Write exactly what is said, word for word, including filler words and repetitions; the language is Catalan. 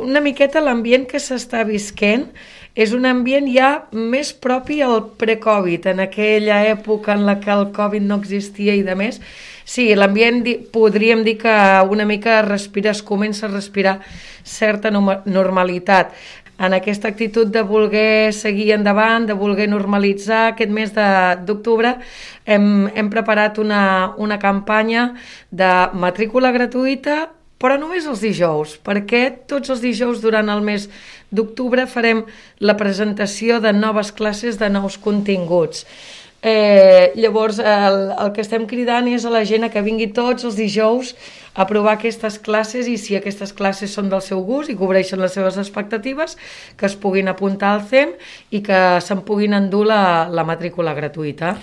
una miqueta l'ambient que s'està visquent és un ambient ja més propi al pre-Covid, en aquella època en la que el Covid no existia i de més. Sí, l'ambient podríem dir que una mica respira, es comença a respirar certa normalitat. En aquesta actitud de voler seguir endavant, de voler normalitzar aquest mes d'octubre, hem, hem preparat una, una campanya de matrícula gratuïta, però només els dijous, perquè tots els dijous durant el mes d'octubre farem la presentació de noves classes, de nous continguts. Eh, llavors el, el que estem cridant és a la gent a que vingui tots els dijous a provar aquestes classes, i si aquestes classes són del seu gust i cobreixen les seves expectatives, que es puguin apuntar al C E M i que se'n puguin endur la, la matrícula gratuïta.